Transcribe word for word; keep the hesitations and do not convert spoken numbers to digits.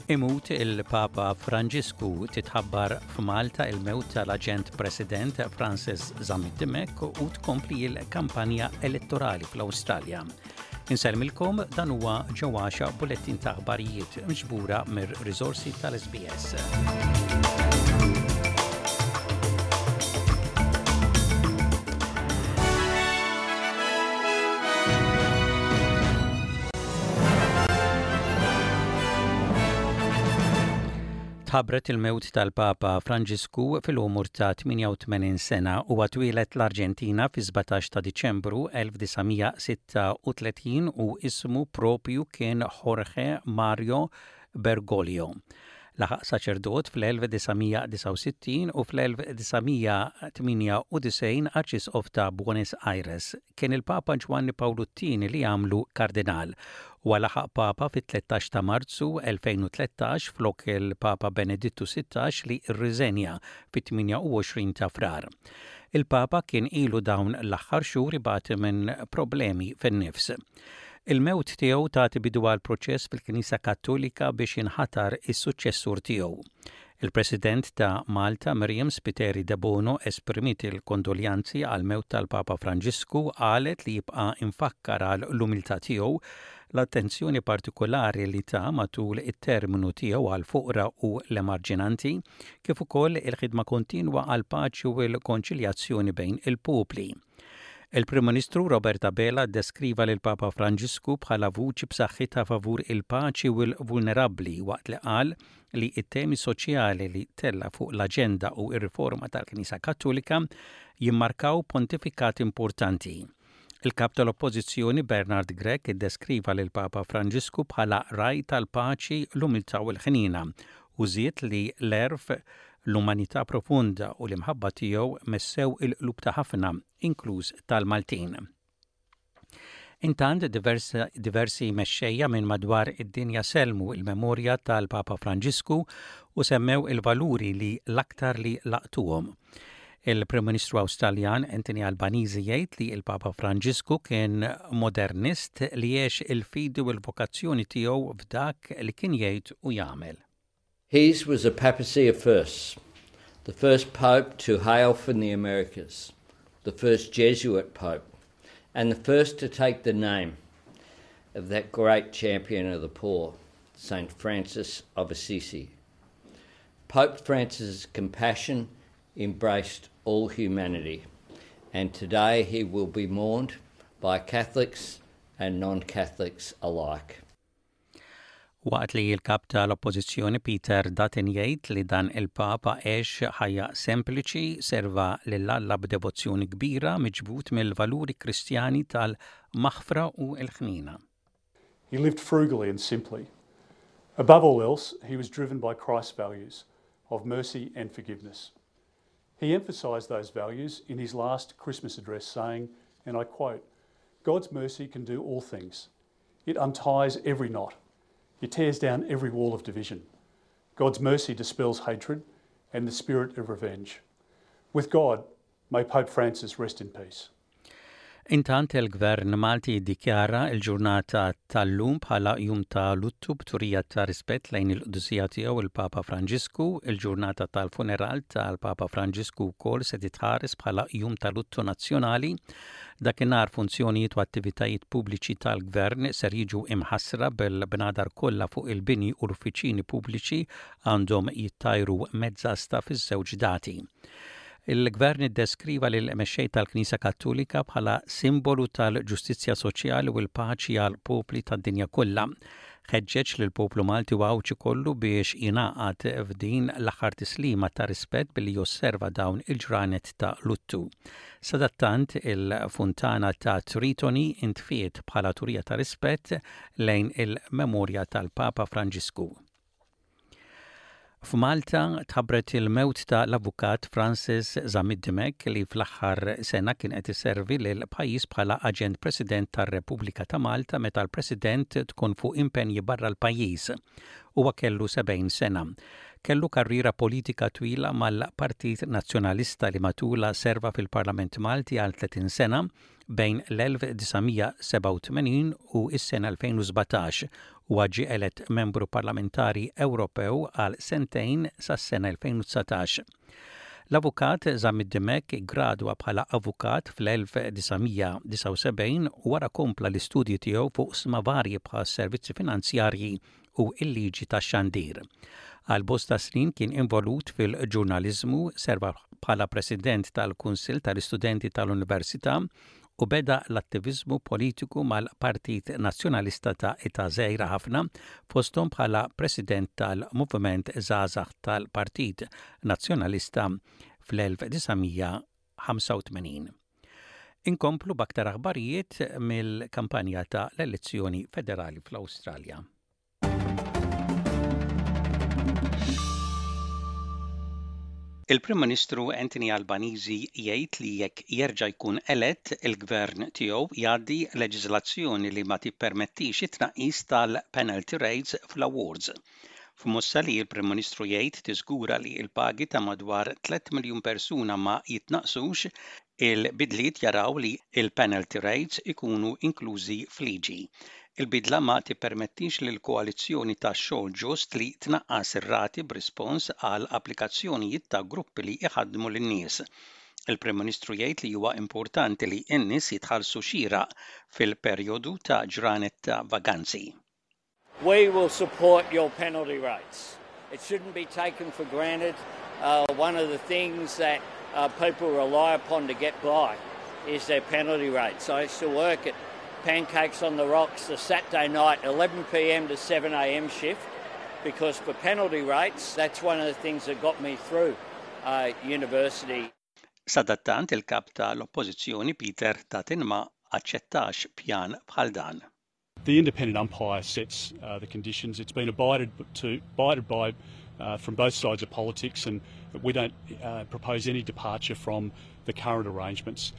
Imut il-Papa Franġisku, titħabbar f'Malta il-mewt tal-Aġent President Francis Zammit Dimech u tkompli il-kampanja elettorali fl-Awstralja. Insellmilkom, dan huwa ġewwaxa bulettin ta' aħbarijiet miġbura mir-riżorsi tal-S B S. Tħabbret il-mewt tal-Papa Franġisku fil-umur ta' tmienja u tmenin sena u twieled l-Arġentina fi sbatax ta' Diċembru elf disa' mija sitta u tletin u ismu propju kien Jorge Mario Bergoglio. Laħaq saċerdot fl-elf disa' mija disgħa u sittin u fl-elf disa' mija tmienja u disgħin arċisqof ta' Buenos Aires. Kien il-Papa Ġwanni Pawlu t-Tieni li għamlu kardinal u laħaq Papa fit-tlettax ta' Marzu elfejn u tlettax flok il-Papa Benedittu sittax li rriżenja fit-tmienja u għoxrin ta' Frar. Il-Papa kien ilu dawn l-aħħar xhur ibati minn problemi fin-nifs. Il-mewt tiegħu tagħti bidu għal proċess fil-Knisja Kattolika biex jinħatar is-suċċessur tiegħu. Il-President ta' Malta, Miriam Spiteri Debono, esprimiet il-kondoljanzi għal mewt tal-Papa Franġisku, qalet li jibqa' imfakkar għal l-umiltà tiegħu, l-attenzjoni partikolari li ta matul it-terminu tiegħu għal fuqra u l-emarġinanti, kif ukoll il-ħidma kontinwa għal paċi u l-konċiljazzjoni bejn il-popli. Il-Prim Ministru Robert Abela deskriva lil Papa Franġisku bħala vuċi b'saħħitha favur il-paċi u l-vulnerabbli, waqt li qal li it-temi soċjali li tella fuq l-aġenda u ir-riforma tal-Knisja Kattolika jimmarkaw pontifikat importanti. Il-kap tal-Oppożizzjoni Bernard Grech iddeskriva lil Papa Franġisku bħala ragħaj tal-paċi, l-umiltà u l-ħnina u żied li l-għerf, l-umanità profunda u l-imħabba tiegħu messew il-qlub ta' ħafna, inkluż tal-Maltin. Intant diversi, diversi mexxejja minn madwar id-dinja sellmu il-memorja tal-Papa Franġisku u semmew il-valuri li l-aktar li laqtuhom. Il-Prim Ministru Awstraljan Anthony Albanese jgħid li il-Papa Franġisku kien modernist li għex il-fidi u l-vokazzjoni tiegħu f'dak li kien jgħid u jagħmel. His was a papacy of firsts, the first pope to hail from the Americas, the first Jesuit pope, and the first to take the name of that great champion of the poor, Saint Francis of Assisi. Pope Francis's compassion embraced all humanity, and today he will be mourned by Catholics and non Catholics alike. Waqt li l-kap tal-Oppożizzjoni Peter Dutton jgħid li dan il-Papa għex ħajja sempliċi, serva lil Alla b'devozzjoni kbira, miġbud mill-valuri Kristjani tal-maħfra u l-ħnina. He lived frugally and simply. Above all else, he was driven by Christ's values of mercy and forgiveness. He emphasised those values in his last Christmas address, saying, and I quote, "God's mercy can do all things. It unties every knot. It tears down every wall of division. God's mercy dispels hatred and the spirit of revenge. With God, may Pope Francis rest in peace." Intant il-Gvern Malti dikjara il-ġurnata tal-lum bħala jum ta' luttu b'turija ta' rispett lejn il-qdusija tiegħu il-Papa Franġisku. Il-ġurnata tal-funeral tal-Papa Franġisku wkoll se titħares bħala jum ta' luttu nazzjonali. Dakinhar funzjonijiet u attivitajiet pubbliċi tal-gvern ser jiġu imħassra, bil-bnadar kollha fuq il-bini u l-uffiċini pubbliċi għandhom jittajru mezzasta fiż-żewġ dati. Il-gvern iddeskriva lil mexxej tal-Knisja Kattolika bħala simbolu tal-ġustizzja soċjali u l-paċi għal popli tad-dinja kollha. Ħeġġeġ lil poplu Malti u Għawdxi kollu biex jingħaqad f'din l-aħħar tislima ta' rispett billi josserva dawn il-ġranet ta' luttu. Sadattant il-funtana ta' Tritoni intfiet bħala turija ta' rispett lejn il-memorja tal-Papa Franġisku. F'Malta tħabbret il-mewt ta' l-avukat Francis Zammit Dimech, li fl-aħħar sena kien qed iservi lil pajjiż bħala aġent President tar-Repubblika ta' Malta meta l-President tkun fuq impenji barra l-pajjiż. Huwa kellu sebgħin sena. Kellu karriera politika twila mal-Partit Nazzjonalista li matula serva fil-Parlament Malti għal tletin sena bejn l-elf disa' mija sebgħa u tmenin u s-sena elfejn u sbatax Huwa ġie elett membru parlamentari Ewropew għal sentejn sas-sena elfejn u dsatax. L-avukat Zammit Dimech gradwa bħala avukat fl-elf disa' mija disgħa u sebgħin u wara kompla l-istudji tiegħu fuq oqsma varji bħal servizzi finanzjarji u il-liġi tax-xandir. Għal bosta snin kien involut fil-ġurnalizmu, serva bħala president tal-Kunsill tal-Istudenti tal-Università u beda l-attivizmu politiku mal-Partit Nazzjonalista ta' età żgħira ħafna, fosthom bħala president tal-Moviment Żgħażagħ tal-Partit Nazzjonalista fl-elf disa' mija ħamsa u tmenin. Inkomplu b'aktar aħbarijiet mill-kampanja ta' l-elezzjoni federali fl-Awstralja. Il-Prim Ministru Anthony Albanese jgħid li jekk jerġa' jkun elett, il-gvern tiegħu jgħaddi leġiżlazzjoni li ma tippermettix it-tnaqqis tal-penalty rates fl-awards. F'mossa li l-Prim Ministru jgħid tiżgura li l-pagi ta' madwar tliet miljun persuna ma jitnaqsux, il-bidliet jaraw li il-penalty rates ikunu inklużi f'liġi. Il-bidla ma tippermettix lil koalizzjoni ta' xogħol ġust li tnaqqas ir-rati b'rispons għal applikazzjonijiet ta' gruppi li iħaddmu lin-nies. Il-Prim Ministru jgħid li huwa importanti li n-nies jitħallsu xieraq fil-perjodu ta' ġranet ta' vaganzi. We will support your penalty rates. It shouldn't be taken for granted. Uh, one of the things that uh, people rely upon to get by is their penalty rates. I used to work at Pancakes on the Rocks, the Saturday night eleven p m to seven a m shift, because for penalty rates, that's one of the things that got me through uh, university. Sadattant, il-kap tal-Oppożizzjoni Peter Dutton ma aċċettax pjan bħal dan. The independent umpire sets uh, the conditions. It's been abided, to, abided by uh, from both sides of politics, and we don't uh, propose any departure from the current arrangements.